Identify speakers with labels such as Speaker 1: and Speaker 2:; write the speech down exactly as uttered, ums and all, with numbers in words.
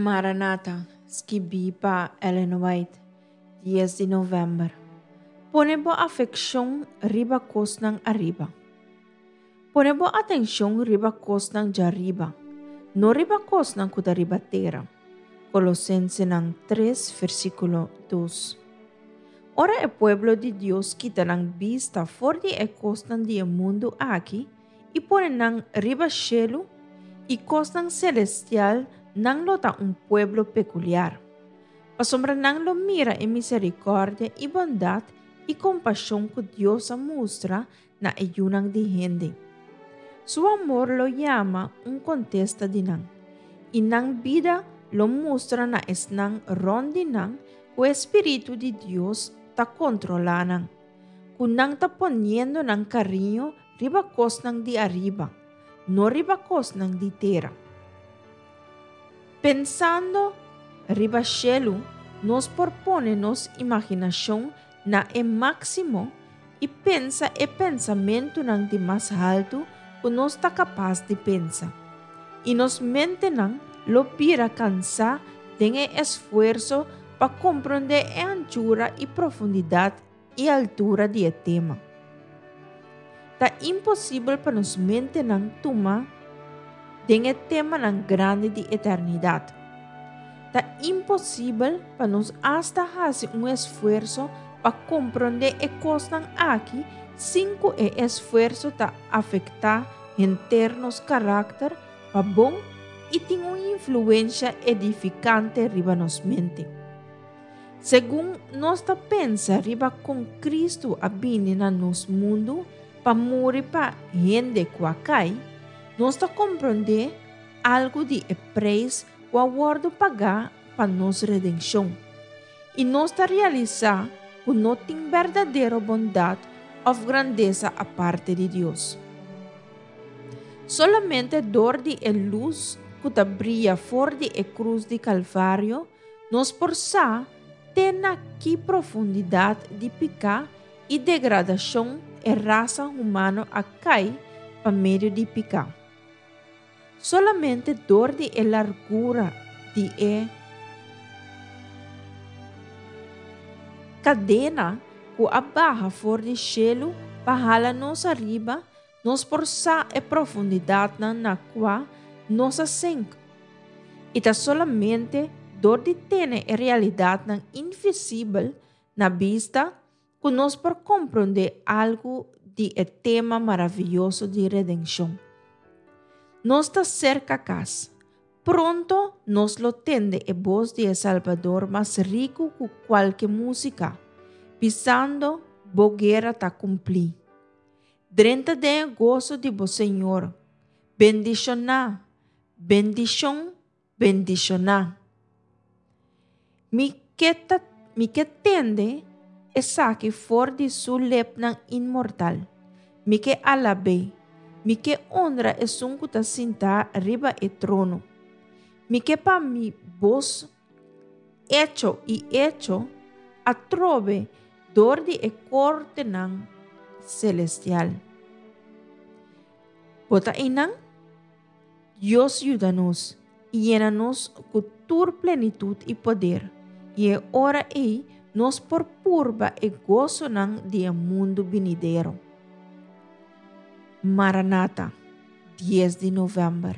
Speaker 1: Maranata, skibí pa Ellen White, dies di novèmber. Pone bo afekshon riba kosnan ariba. Pone bo atenshon riba kosnan djariba, no riba kosnan ku ta riba tera. Kolosensenan tres, versíkulo dos. Ora e pueblo di Dios kita nan bista for di e kosnan di e mundu aki i pone nan riba shelu i kosnan selestial, nan lo ta un pueblo pekuliar. Pasobra nan lo mira e miserikòrdia i bondat i kompashon ku Dios a mustra na e yunan di hende. Su amor lo yama un kontesta di nan, i nan bida lo mustra na esnan rònt di nan ku e Spiritu di Dios ta kontrolá nan, ku nan ta poniendo nan kariño riba kosnan di ariba, no riba kosnan di tera. Pensando riba shelu, nos por pone nos imaginashon na e máksimo i pensa e pensamentunan di mas haltu ku nos ta kapas di pensa. I nos mentenan lo bira kansá den e esfuerso pa komprondé e anchura i profundidat i altura di e tema. Ta imposibel pa nos mentenan tuma den e temanan grandi di eternidat. Ta imposibel pa nos asta hasi un esfuerso pa komprondé e kosnan aki sin ku e esfuerso ta afektá henter nos karakter pa bon i tin un influensha edifikante riba nos mente. Segun nos ta pensa riba kon Kristu a bini na nos mundu pa muri pa hende ku a kai, nos ta komprondé algu di e preis ku a wòrdu pagá pa nos redenshon. I nos ta realisá ku no tin berdadero bondat òf grandesa aparte di Dios. Solamente dor di e lus ku ta bria for di e krus di Kalvario, nos por sa te na ki profundidat di piká i degradashon e rasa humano a kai pa medio di piká. Solamente dor di e largura di e kadena ku a baha for di shelu pa hala nos ariba, nos por sa e profundidatnan na kua nos a senk. I ta solamente dor di tene e realidatnan invisibel na bista ku nos por komprondé algu di e tema maravioso di redenshon. Nos ta serka kas. Pronto nos lo tende e bos di e Salbador mas riku ku kualke músika, bisando, Bo guera ta kumplí. Drenta den e goso di bo Señor. Bendishoná, bendishon, bendishoná. Mi ke ta, mi ke tende esaki for di su lepnan inmortal. Mi ke alab'é. Mi ke honra esun ku ta sintá riba e trono. Mi ke pa mi bos echo i echo atrobe dor di e kortenan selestial. Bo ta einan? Dios yuda nos i yena nos ku tur plenitut i poder, i e ora ei nos por purba e gosonan di e mundu binidero. Maranata, dies di novèmber.